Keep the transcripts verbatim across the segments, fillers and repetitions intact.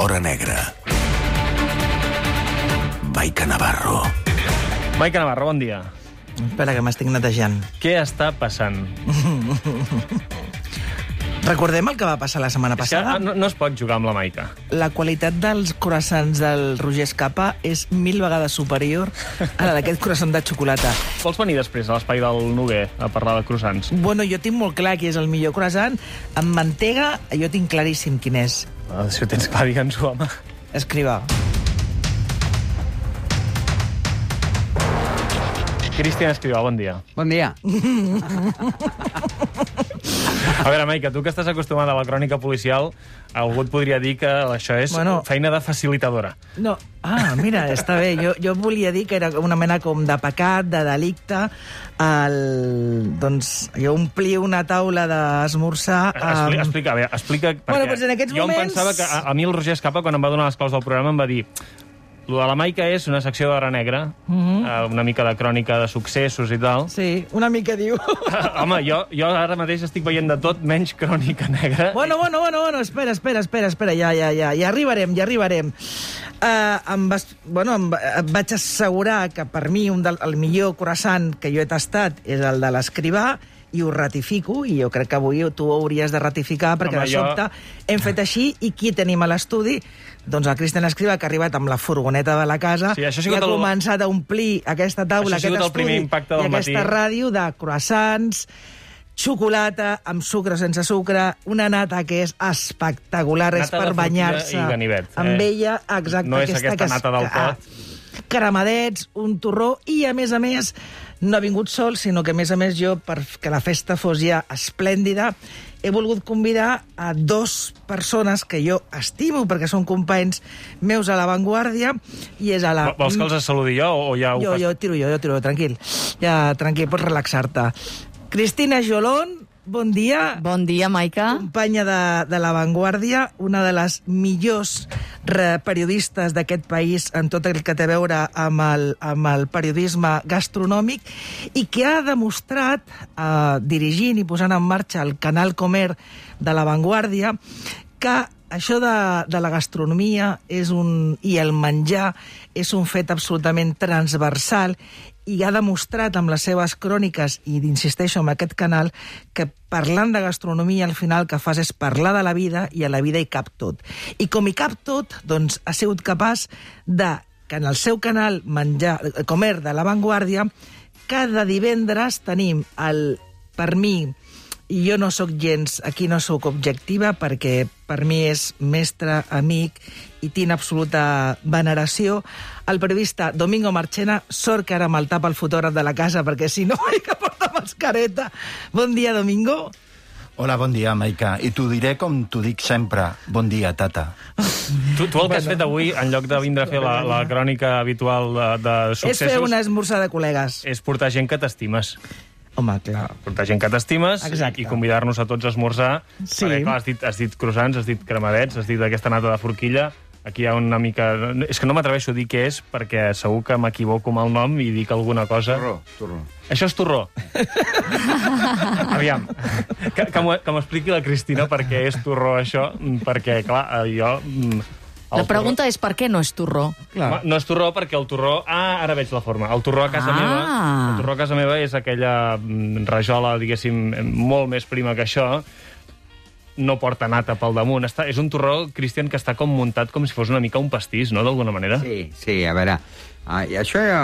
l'hora negra. Maica Navarro. Maica Navarro, bon dia. Espera, que m'estic netejant. Què està passant? Recordem el que va passar la setmana passada? No, no es pot jugar amb la Maica. La qualitat dels croissants del Roger Escapa és mil vegades superior a la d'aquest croissant de xocolata. Vols venir després a l'espai del Noguer a parlar de croissants? Bueno, jo tinc molt clar qui és el millor croissant. Amb mantega, jo tinc claríssim quin és. Ah, si ho tens clar, digue'ns-ho, home. Escriva. Cristian Escrivà, bon dia. Bon dia. A veure, Maica, tu que estàs acostumada a la crònica policial, algú et podria dir que això és bueno, feina de facilitadora. No, ah, mira, està bé. Jo, jo volia dir que era una mena com de pecat, de delicte. El, doncs, jo omplia una taula d'esmorzar... Expli, amb... Explica, a veure, explica... Bueno, doncs en aquests jo moments... em pensava que a, a mi el Roger Escapa, quan em va donar les claus del programa, em va dir... Lo de la Maica és una secció d'hora negra, uh -huh. una mica de crònica de successos i tal. Sí, una mica diu. Home, jo, jo ara mateix estic veient de tot menys crònica negra. Bueno, bueno, bueno, bueno, espera, espera, espera, espera, ja, ja, ja, ja arribarem, ja arribarem. Uh, em vas, bueno, em, et vaig assegurar que per mi un del, el millor croissant que jo he tastat és el de l'Escrivà, i ho ratifico, i jo crec que avui tu ho hauries de ratificar, perquè Home, de sobte jo... hem fet així, i qui tenim a l'estudi? Doncs el Cristian Escrivà, que ha arribat amb la furgoneta de la casa sí, i ha el... començat a omplir aquesta taula, aquest estudi i aquesta matí. Ràdio de croissants, xocolata, amb sucre o sense sucre, una nata que és espectacular, nata és per banyar-se. Nata de ganivet. Amb eh? ella, exacte. No és aquesta, aquesta nata del pot. Caramadets, un torró, i a més a més no ha vingut sol, sinó que a més a més jo, perquè la festa fos ja esplèndida, he volgut convidar a dos persones que jo estimo, perquè són companys meus a La Vanguardia, i és a la... Vols que els saludi jo o ja ho jo, fas? Jo tiro jo, jo tiro, tranquil. Ja, tranquil, pots relaxar-te. Cristina Jolón, bon dia. Bon dia, Maica. Companya de, de La Vanguardia, una de les millors periodistes d'aquest país en tot el que té a veure amb el, amb el periodisme gastronòmic, i que ha demostrat, eh, dirigint i posant en marxa el canal Comer de La Vanguardia, que això de, de la gastronomia és un, i el menjar és un fet absolutament transversal, i ha demostrat amb les seves cròniques, i insisteixo en aquest canal, que parlant de gastronomia al final el que fas és parlar de la vida, i a la vida hi cap tot. I com hi cap tot, doncs ha sigut capaç de, que en el seu canal Menjar, Comer de La Vanguardia, cada divendres tenim el, per mi, i jo no sóc gens, aquí no sóc objectiva, perquè per mi és mestre, amic, i tinc absoluta veneració, el periodista Domingo Marchena. Sort que ara me'l tapa el fotògraf de la casa, perquè si no, he que portar mascareta. Bon dia, Domingo. Hola, bon dia, Maica. I t'ho diré com t'ho dic sempre. Bon dia, tata. Tu, tu el que has fet avui, en lloc de vindre a fer la, la crònica habitual de, de successos... És fer una esmorzar de col·legues. És portar gent que t'estimes. Home, clar. Portar gent que t'estimes i convidar-nos a tots a esmorzar. Sí. Perquè, clar, has dit, has dit croissants, has dit cremadets, has dit aquesta nata de forquilla. Aquí hi ha una mica... És que no m'atreveixo a dir què és, perquè segur que m'equivoco amb el nom i dic alguna cosa... Torró, torró. Això és torró. Aviam, que, que m'expliqui la Cristina per què és torró això, perquè, clar, jo... La pregunta torró... és per què no és torró. Clar. No és torró perquè el torró... Ah, ara veig la forma. El torró a casa ah. meva... El torró a casa meva és aquella rajola, diguéssim, molt més prima que això. No porta nata pel damunt. Està, és un torró, Cristian, que està com muntat com si fos una mica un pastís, no?, d'alguna manera. Sí, sí, a veure... Uh, i això ja,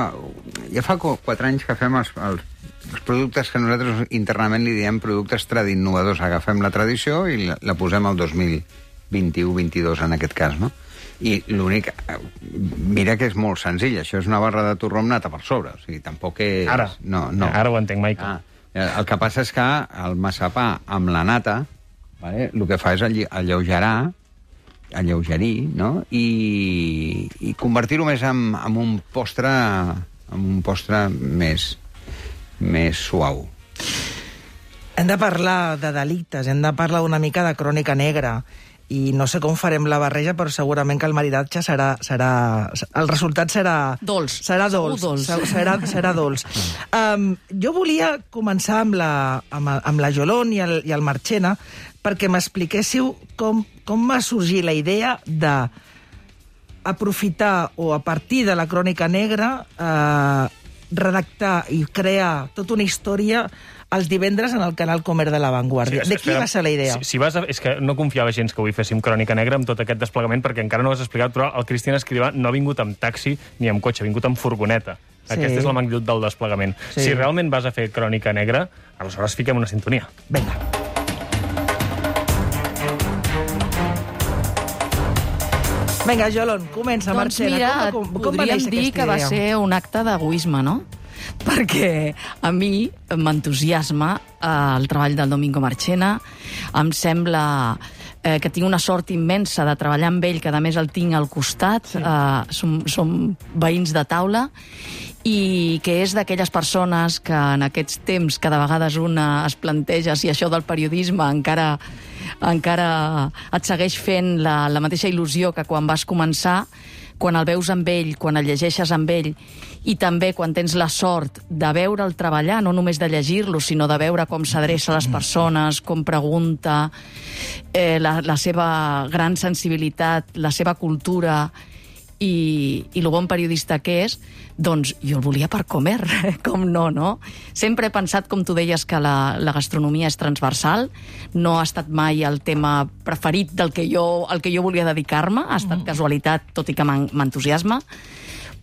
ja fa quatre anys que fem els, els, els productes que nosaltres internament li diem productes innovadors. Agafem la tradició i la, la posem al dos mil vint-i-u vint-i-dos, en aquest cas, no? I l'únic... Mira que és molt senzill. Això és una barra de torró amb nata per sobre. O sigui, tampoc és... Ara, no, no. Ara ho entenc, Maica. Ah, el que passa és que el massapà amb la nata, vale, el que fa és alleugerar, alleugerir, no? I, i convertir-ho més en, en un postre, en un postre més, més suau. Hem de parlar de delictes, hem de parlar una mica de crònica negra. i no sé com farem la barreja, però segurament que el maridatge serà... serà el resultat serà... Dolç. Serà dolç. dolç. Serà, serà dolç. Um, jo volia començar amb la, amb, amb la Jolón i el, i el Marchena perquè m'expliquéssiu com, com va sorgir la idea de aprofitar o a partir de la Crònica Negra eh, redactar i crear tota una història els divendres en el canal Comer de La Vanguardia. Sí, de qui va ser la idea? Si, si vas a, és que no confiava gens que avui féssim Crònica Negra amb tot aquest desplegament, perquè encara no ho has explicat, però el Cristian Escrivà no ha vingut amb taxi ni amb cotxe, ha vingut amb furgoneta. Sí. Aquesta és la magnitud del desplegament. Sí. Si realment vas a fer Crònica Negra, aleshores fiquem una sintonia. Vinga. Vinga, Jolón, comença, doncs Marchena. Mira, com, com, com podríem dir que va ser un acte d'egoisme, no? Perquè a mi m'entusiasma eh, el treball del Domingo Marchena, em sembla eh, que tinc una sort immensa de treballar amb ell, que a més el tinc al costat, sí. eh, som, som veïns de taula, i que és d'aquelles persones que en aquests temps cada vegades una es planteja si això del periodisme encara, encara et segueix fent la, la mateixa il·lusió que quan vas començar, quan el veus amb ell, quan el llegeixes amb ell, i també quan tens la sort de veure'l treballar, no només de llegir-lo, sinó de veure com s'adreça a les persones, com pregunta, eh, la, la seva gran sensibilitat, la seva cultura i, i el bon periodista que és, doncs jo el volia per Comer, com no, no? Sempre he pensat, com tu deies, que la, la gastronomia és transversal, no ha estat mai el tema preferit del que jo, al que jo volia dedicar-me, ha estat mm. casualitat, tot i que m'entusiasma,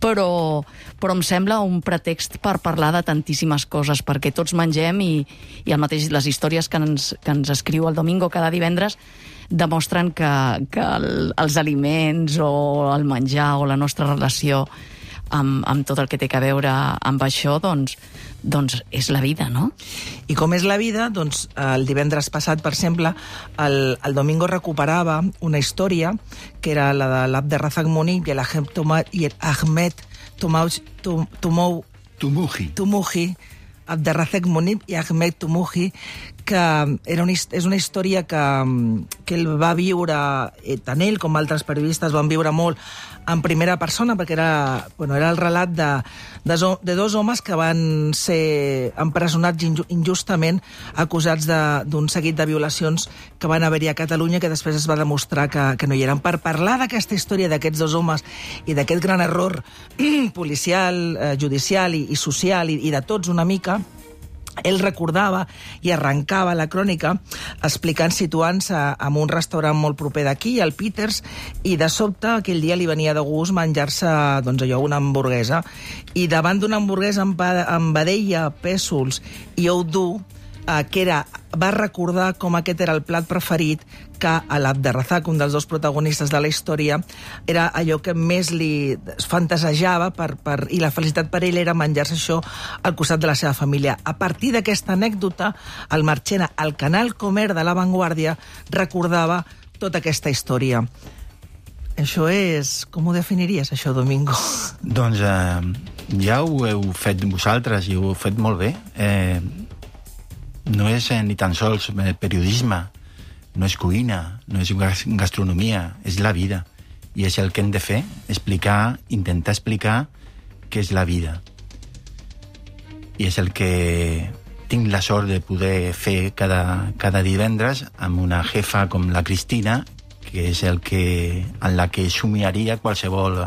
però, però em sembla un pretext per parlar de tantíssimes coses, perquè tots mengem i, i el mateix, les històries que ens, que ens escriu el Domingo cada divendres demostren que, que el, els aliments o el menjar o la nostra relació amb, amb tot el que té a veure amb això, doncs, doncs és la vida, no? I com és la vida, doncs el divendres passat, per exemple, el, el Domingo recuperava una història que era la de l'Abderrazak Munib i l'Ahmed Tomou Tumuji. Tumuji, Abderrazak Munib i Ahmed Tumuji, que era una, és una història que, que ell va viure, eh, tant ell com altres periodistes van viure molt en primera persona, perquè era, bueno, era el relat de, de, de dos homes que van ser empresonats injustament, acusats d'un seguit de violacions que van haver-hi a Catalunya, que després es va demostrar que, que no hi eren. Per parlar d'aquesta història d'aquests dos homes i d'aquest gran error policial, eh, judicial i, i social i, i de tots una mica, ell recordava i arrencava la crònica explicant, situant-se en un restaurant molt proper d'aquí, el Peters, i de sobte aquell dia li venia de gust menjar-se, doncs allò, una hamburguesa, i davant d'una hamburguesa amb, amb vedella, pèsols i ou dur, eh, que era, va recordar com aquest era el plat preferit, que a l'Abderrazak, un dels dos protagonistes de la història, era allò que més li fantasejava per, per, i la felicitat per ell era menjar-se això al costat de la seva família. A partir d'aquesta anècdota, el Marchena, al canal Comer de La Vanguardia, recordava tota aquesta història. Això és... Com ho definiries, això, Domingo? Doncs eh, ja ho heu fet vosaltres i ho heu fet molt bé. Eh, no és eh, ni tan sols eh, periodisme, no és cuina, no és gastronomia, és la vida. I és el que hem de fer, explicar, intentar explicar què és la vida. I és el que tinc la sort de poder fer cada, cada divendres amb una jefa com la Cristina, que és el que, en la que somiaria qualsevol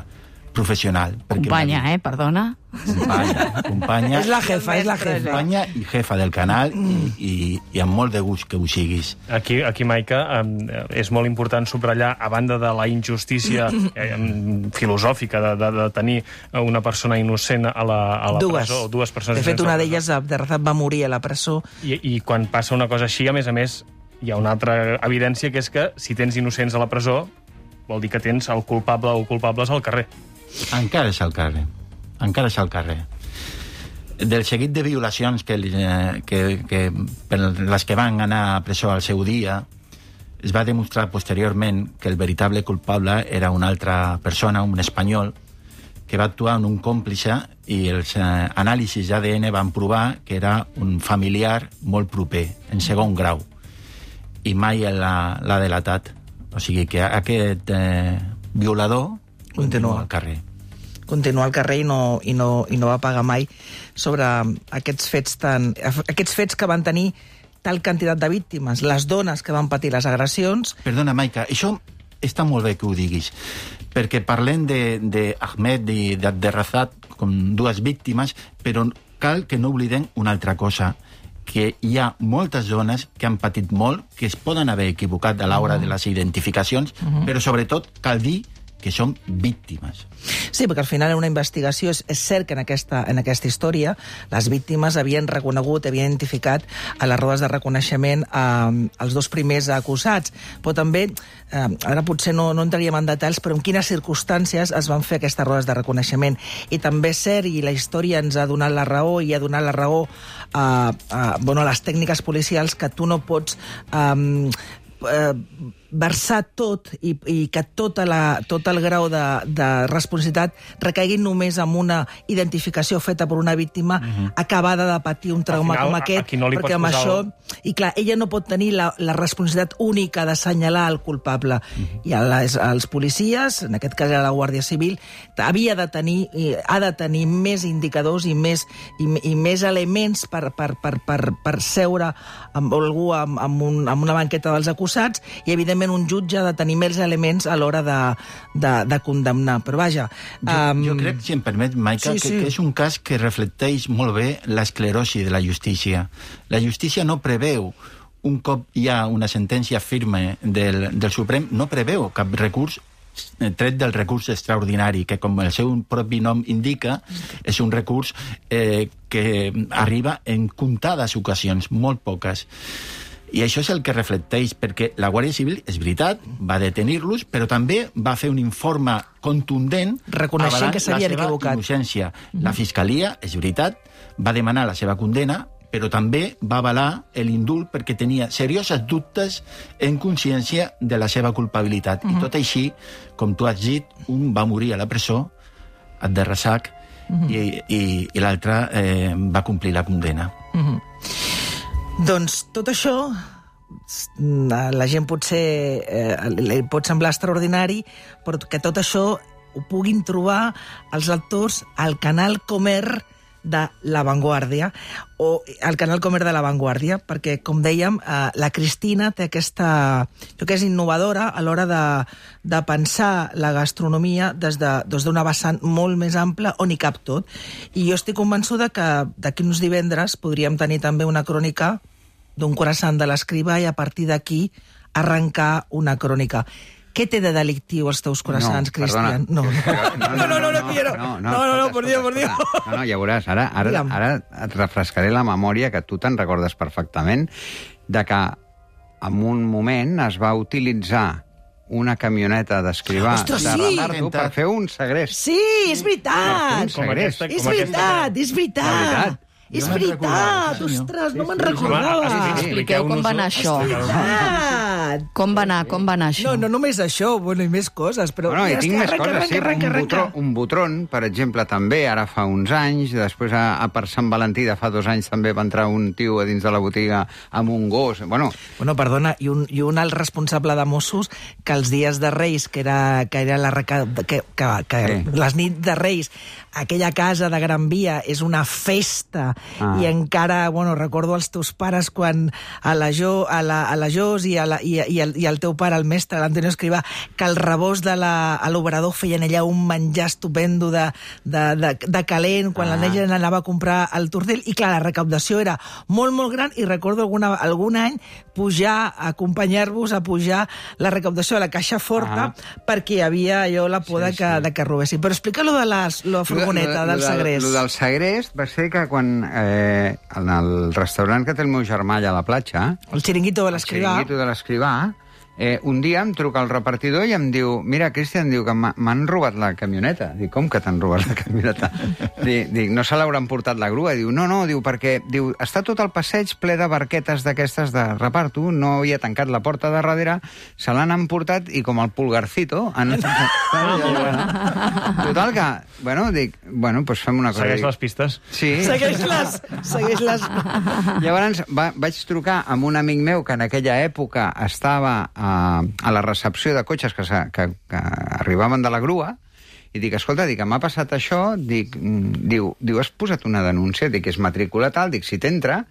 professional. Companya, eh? Perdona. Companya, companya. És la jefa, és la jefa. Companya i jefa del canal i, i, i amb molt de gust que ho siguis. Aquí, aquí Maica, eh, és molt important subratllar, a banda de la injustícia eh, filosòfica de, de, de tenir una persona innocent a la, a la dues. presó, o dues persones... De fet, una d'elles, Abderrazak, va morir a la presó. I, I quan passa una cosa així, a més a més, hi ha una altra evidència, que és que si tens innocents a la presó, vol dir que tens el culpable o culpables al carrer. Encara és al carrer. Encara és al carrer. Del seguit de violacions que, que, que, per les que van anar a presó al seu dia, es va demostrar posteriorment que el veritable culpable era una altra persona, un espanyol, que va actuar en un còmplice i els eh, anàlisis d'A D N van provar que era un familiar molt proper, en segon grau, i mai l'ha delatat. O sigui que aquest eh, violador continua al carrer. Continua al carrer i no, i, no, i no va pagar mai sobre aquests fets tan, aquests fets que van tenir tal quantitat de víctimes, les dones que van patir les agressions. Perdona, Maica, això està molt bé que ho diguis, perquè parlem d'Ahmed i d'Abderrazak com dues víctimes, però cal que no oblidem una altra cosa, que hi ha moltes dones que han patit molt, que es poden haver equivocat a l'hora de les identificacions, uh-huh. però sobretot cal dir que són víctimes. Sí, perquè al final en una investigació és, és cert que en aquesta, en aquesta història les víctimes havien reconegut, havien identificat a les rodes de reconeixement eh, els dos primers acusats, però també, eh, ara potser no, no entraríem en detalls, però en quines circumstàncies es van fer aquestes rodes de reconeixement. I també és cert, i la història ens ha donat la raó, i ha donat la raó a, a, bueno, a les tècniques policials, que tu no pots eh, eh, versar tot i, i que tota la, tot el grau de, de responsabilitat recaigui només en una identificació feta per una víctima uh-huh. acabada de patir un trauma final, com aquest, no perquè amb posar... això... I clar, ella no pot tenir la, la responsabilitat única d'assenyalar el culpable. Uh-huh. I les, els policies, en aquest cas la Guàrdia Civil, havia de tenir, ha de tenir més indicadors i més, i, i més elements per, per, per, per, per seure amb algú amb, amb, un, amb una banqueta dels acusats, i evidentment un jutge ha de tenir més elements a l'hora de, de, de condemnar. Però vaja... Jo, um... jo crec, si em permet, Maica, sí, que, sí. que és un cas que reflecteix molt bé l'esclerosi de la justícia. La justícia no preveu, un cop hi ha una sentència firme del, del Suprem, no preveu cap recurs tret del recurs extraordinari, que com el seu propi nom indica, és un recurs eh, que arriba en comptades ocasions, molt poques. I això és el que reflecteix, perquè la Guàrdia Civil, és veritat, va detenir-los, però també va fer un informe contundent reconeixent que s'havien equivocat. Innocència. Mm-hmm. La Fiscalia, és veritat, va demanar la seva condena, però també va avalar l'indult perquè tenia seriosos dubtes en consciència de la seva culpabilitat. Mm-hmm. I tot així, com tu has dit, un va morir a la presó, Abderrazak, mm-hmm. i, i, i l'altre eh, va complir la condena. Mm-hmm. Doncs tot això, la gent potser eh, li pot semblar extraordinari, però que tot això ho puguin trobar els lectors al canal Comer de La Vanguardia, o al canal Comer de La Vanguardia, perquè, com dèiem, eh, la Cristina té aquesta... jo que és innovadora a l'hora de, de pensar la gastronomia des d'una de, des vessant molt més ampla on hi cap tot. I jo estic convençuda que d'aquí uns divendres podríem tenir també una crònica d'un croissant de l'escrivà i a partir d'aquí arrencar una crònica. Què té de delictiu els teus croissants, no, Cristian? No, no, no, no, no, no, no, quiero. No, no, no, no, por Dios, por Dios. No, no, ja veuràs, ara, ara, ara et refrescaré la memòria, que tu te'n recordes perfectament, de que en un moment es va utilitzar una camioneta d'escrivà Ostres, de sí! retardo per fer un segrest. Sí, és veritat! Un segrest. És veritat, és veritat! És No me'n veritat! recordava, Ostres, no me'n Home, recordava! Expliqueu com va anar això. Veritat! Com va anar, com va anar això? No, no només això, bueno, i més coses, però... Bueno, i ja tinc està, més arrenca, coses, sí. arrenca, Un, arrenca, butró, arrenca. un butron, per exemple, també, ara fa uns anys, després a, a per Sant Valentí de fa dos anys també va entrar un tio a dins de la botiga amb un gos, bueno... Bueno, perdona, i un, i un alt responsable de Mossos que els dies de Reis, que era, que era la reca... que, que, que Sí. les nits de Reis, aquella casa de Gran Via és una festa, Ah. i encara, bueno, recordo els teus pares quan a la, jo, a la, a la Jos i, a la, i, i, el, i el teu pare, el mestre, l'Antonio Escrivà, que el rebost de la, a l'obrador feien allà un menjar estupendo de, de, de, de calent, quan Ah. la Neja anava a comprar el tortell, i clar, la recaptació era molt, molt gran, i recordo alguna, algun any pujar, acompanyar-vos a pujar la recaptació a la Caixa Forta, Ah. perquè hi havia allò la por Sí, de, que, sí. de que robessin. Però explica lo de les, la furgoneta Lo- lo- del lo segrest. Lo del segrest va ser que quan eh, en el restaurant que té el meu germà allà a la platja, El xiringuito de el l'escrivà. xiringuito de l'escrivà, eh, un dia em truca el repartidor i em diu, mira, Cristian, diu que m'ha- m'han robat la camioneta. Dic, com que t'han robat la camioneta? dic, dic, no se l'hauran portat la grua? Diu, no, no, diu, perquè diu, està tot el passeig ple de barquetes d'aquestes de reparto, no havia tancat la porta de darrere, se l'han emportat i com el pulgarcito han... Total que, bueno, dic, bueno, doncs fem una cosa. Segueix dic, les pistes. Sí. Segueix-les, segueix-les. Llavors va, vaig trucar amb un amic meu que en aquella època estava a, a, a la recepció de cotxes que, que, que arribaven de la grua, i dic, escolta, dic, m'ha passat això, dic, diu, diu, has posat una denúncia, dic, és matrícula tal, dic, si t'entra,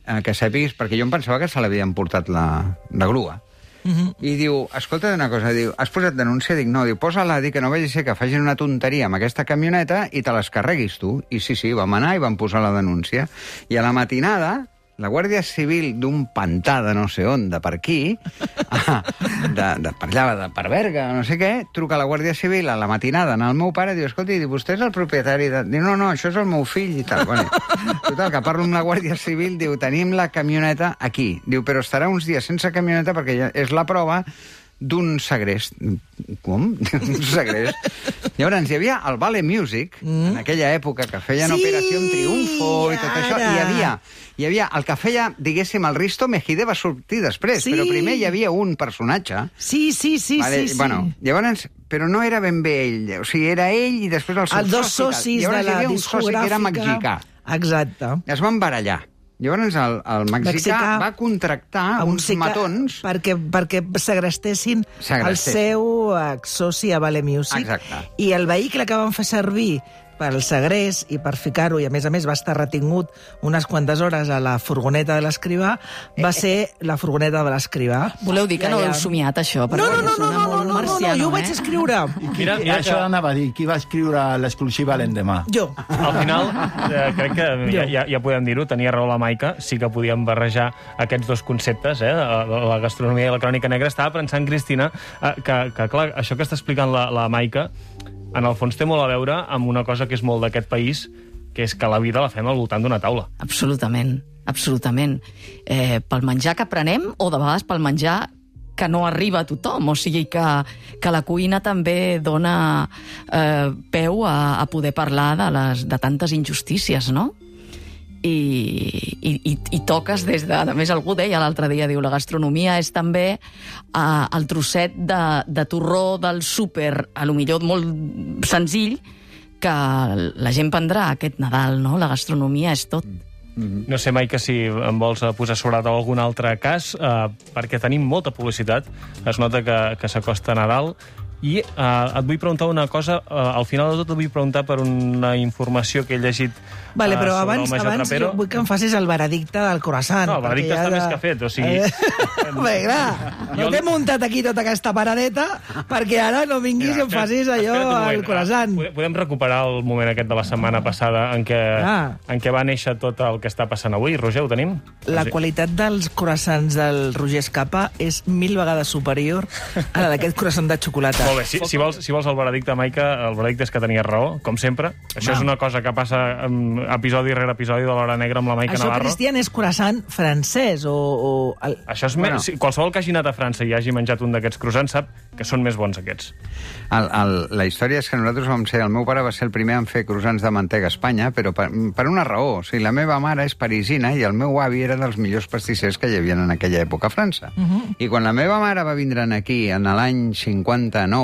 eh, que sàpiguis, perquè jo em pensava que se l'havien portat la, la grua. Uh-huh. I diu, escolta una cosa, diu, has posat denúncia? Dic, no, diu, posa-la, dic que no vagi a ser que facin una tonteria amb aquesta camioneta i te les carreguis tu. I sí, sí, vam anar i vam posar la denúncia. I a la matinada, la Guàrdia Civil d'un pantà de no sé on, de per aquí, de, de per allà, de per Berga, no sé què, truca a la Guàrdia Civil a la matinada, anar al meu pare, diu, escolta, diu, vostè és el propietari de... Diu, no, no, això és el meu fill i tal. Bueno, total, que parlo amb la Guàrdia Civil, diu, tenim la camioneta aquí. Diu, però estarà uns dies sense camioneta perquè ja és la prova d'un segrest. Com? Un segrest? Llavors, hi havia el Vale Music, mm. en aquella època, que feien sí, Operació Triunfo i tot ara. això, i hi havia, hi havia el que feia, diguéssim, el Risto Mejide va sortir després, sí. però primer hi havia un personatge. Sí, sí, sí, vale? sí, sí. Bueno, llavors, però no era ben bé ell, o sigui, era ell i després el seu Els dos soci. socis de la discogràfica. Llavors hi havia un soci que era mexicà. Exacte. Es van barallar. Llavors el, el mexicà, mexicà va contractar uns matons... Perquè, perquè segrestessin el seu exsoci a Vale Music. Exacte. I el vehicle que van fer servir per al segrest i per ficar-ho, i a més a més va estar retingut unes quantes hores a la furgoneta de l'escrivà, va ser la furgoneta de l'escrivà. Voleu dir que ja, no ja. heu somiat això? No, no, no, no, no, no, no, no, no, jo ho vaig eh? escriure. Mira, mira Això que... anava a dir, qui va escriure l'exclusiva l'endemà? Jo. Al final, eh, crec que ja, ja, ja podem dir-ho, tenia raó la Maica, sí que podíem barrejar aquests dos conceptes, eh, la, la gastronomia i la crònica negra. Estava pensant, Cristina, eh, que, que clar, això que està explicant la, la Maica, en el fons té molt a veure amb una cosa que és molt d'aquest país, que és que la vida la fem al voltant d'una taula. Absolutament, absolutament. Eh, pel menjar que prenem o de vegades pel menjar que no arriba a tothom, o sigui que, que la cuina també dona eh, peu a, a poder parlar de, les, de tantes injustícies, no? I, i, i, i toques des de... A més, algú deia l'altre dia, diu, la gastronomia és també uh, el trosset de, de torró del súper, a lo millor molt senzill, que la gent prendrà aquest Nadal, no? La gastronomia és tot. No sé, Maica, si em vols posar sobre algun altre cas, eh, perquè tenim molta publicitat, es nota que, que s'acosta Nadal, i eh, et vull preguntar una cosa, eh, al final de tot et vull preguntar per una informació que he llegit Vale, però uh, abans, abans jo vull que em facis el veredicte del croissant. No, el veredicte està de... més que fet, o sigui... Eh, bé, clar, no t'he muntat aquí tota aquesta paradeta perquè ara no vinguis Mira, i em facis allò al croissant. Podem recuperar el moment aquest de la setmana passada en què, ah. en què va néixer tot el que està passant avui. Roger, ho tenim? La Roger. qualitat dels croissants del Roger Escapa és mil vegades superior a la d'aquest croissant de xocolata. Molt bé, si, si, vols, si vols el veredicte, Maica, el veredicte és que tenies raó, com sempre. Això no. és una cosa que passa um, episodi rere episodi de l'Hora Negra amb la Maica Això, Navarro. Això, Cristian, és croissant francès o... o el... Això és bueno. més... Si qualsevol que hagi anat a França i hagi menjat un d'aquests croissants sap que són més bons aquests. El, el, la història és que nosaltres vam ser... El meu pare va ser el primer en fer croissants de mantega a Espanya, però per, per una raó. O sigui, la meva mare és parisina i el meu avi era dels millors pastissers que hi havia en aquella època a França. Uh -huh. I quan la meva mare va vindre aquí en l'any cinquanta-nou...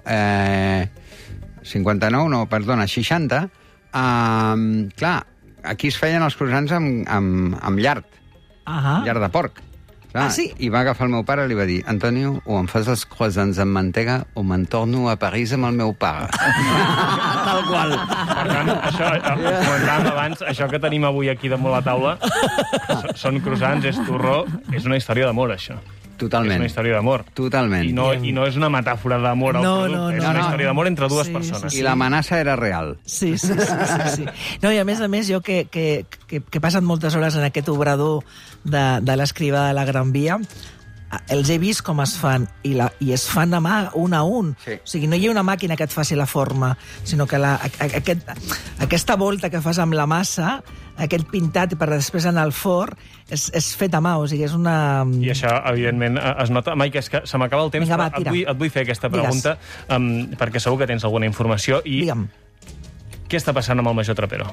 Eh, cinquanta-nou, no, perdona, seixanta... Eh, clar, aquí es feien els croissants amb, amb, amb llard, uh-huh. llard de porc. Clar, ah, sí? I va agafar el meu pare i li va dir, Antonio, o em fas els croissants amb mantega o me'n torno a París amb el meu pare. Tal qual. Per tant, això, comentàvem abans, això que tenim avui aquí damunt la taula, són croissants, és torró, és una història d'amor, això. Totalment. És una història d'amor. Totalment. I no, I no és una metàfora d'amor al no, producte, no, no, és una no. història d'amor entre dues sí, persones. sí, sí. I l'amenaça era real. Sí, sí, sí, sí, sí. No, i a més a més, jo que, que, que, que he passat moltes hores en aquest obrador de, de l'escrivà de la Gran Via, els he vist com es fan, i, la, i es fan a mà, un a un. Sí. O sigui, no hi ha una màquina que et faci la forma, sinó que la, aquest, aquesta volta que fas amb la massa, aquest pintat per després anar al forn, és, és fet a mà, o sigui, és una... I això, evidentment, es nota... Maica, és que se m'acaba el temps, Vinga, va, però et vull, et vull fer aquesta pregunta, um, perquè segur que tens alguna informació. I Digue'm. Què està passant amb el major Trapero?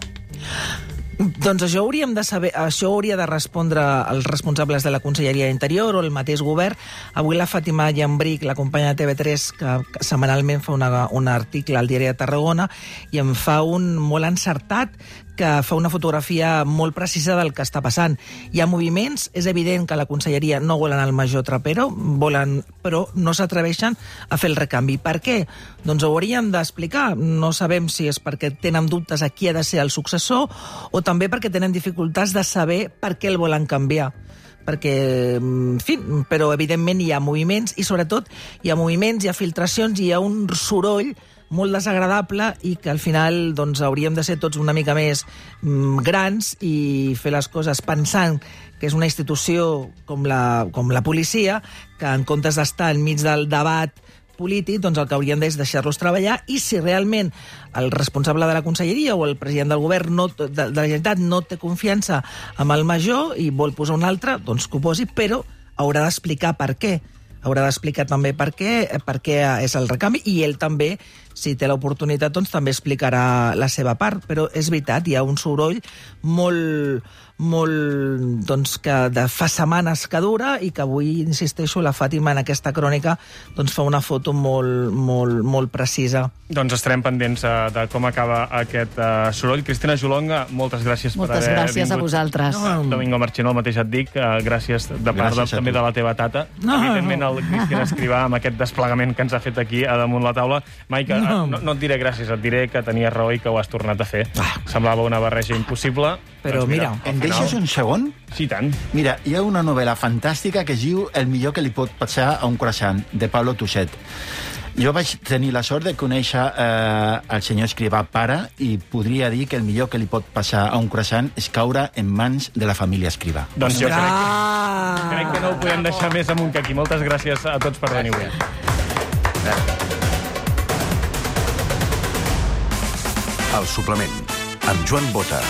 Doncs això hauríem de saber, això hauria de respondre els responsables de la Conselleria d'Interior o el mateix govern. Avui la Fàtima Llambric, la companya de T V tres, que, que setmanalment fa una, un article al Diari de Tarragona, i em fa un molt encertat, que fa una fotografia molt precisa del que està passant. Hi ha moviments, és evident que la conselleria no volen el major Trapero, volen, però no s'atreveixen a fer el recanvi. Per què? Doncs ho haurien d'explicar. No sabem si és perquè tenen dubtes a qui ha de ser el successor o també perquè tenen dificultats de saber per què el volen canviar. Perquè, en fi, però evidentment hi ha moviments i sobretot hi ha moviments, hi ha filtracions, hi ha un soroll molt desagradable i que al final doncs, hauríem de ser tots una mica més mm, grans i fer les coses pensant que és una institució com la, com la policia, que en comptes d'estar enmig del debat polític, doncs el que haurien de és deixar-los treballar i si realment el responsable de la conselleria o el president del govern no, de, de la Generalitat no té confiança amb el major i vol posar un altre, doncs que ho posi, però haurà d'explicar per què. Haurà d'explicar també per què, per què és el recanvi i ell també, si té l'oportunitat, doncs també explicarà la seva part. Però és veritat, hi ha un soroll molt, molt, doncs, que de fa setmanes que dura i que avui, insisteixo, la Fàtima en aquesta crònica doncs fa una foto molt, molt, molt precisa. Doncs estarem pendents uh, de com acaba aquest uh, soroll. Cristina Jolonga, moltes gràcies moltes per haver gràcies vingut. A vosaltres. No, Domingo Marchena, el mateix et dic. Uh, gràcies de part gràcies de, també de la teva tata. No. Evidentment, el Cristian Escrivà, amb aquest desplegament que ens ha fet aquí a damunt la taula. Maica, no. No, no et diré gràcies, et diré que tenies raó i que ho has tornat a fer. Ah. Semblava una barreja impossible. Però doncs mira, em deixes un segon? Sí, tant. Mira, hi ha una novel·la fantàstica que es diu El millor que li pot passar a un croissant, de Pablo Tusset. Jo vaig tenir la sort de conèixer eh, el senyor Escrivà pare i podria dir que el millor que li pot passar a un croissant és caure en mans de la família Escrivà. Doncs jo crec, Ah! crec que no ho podem deixar més amunt que aquí. Moltes gràcies a tots per venir avui. El suplement, amb Joan Bota.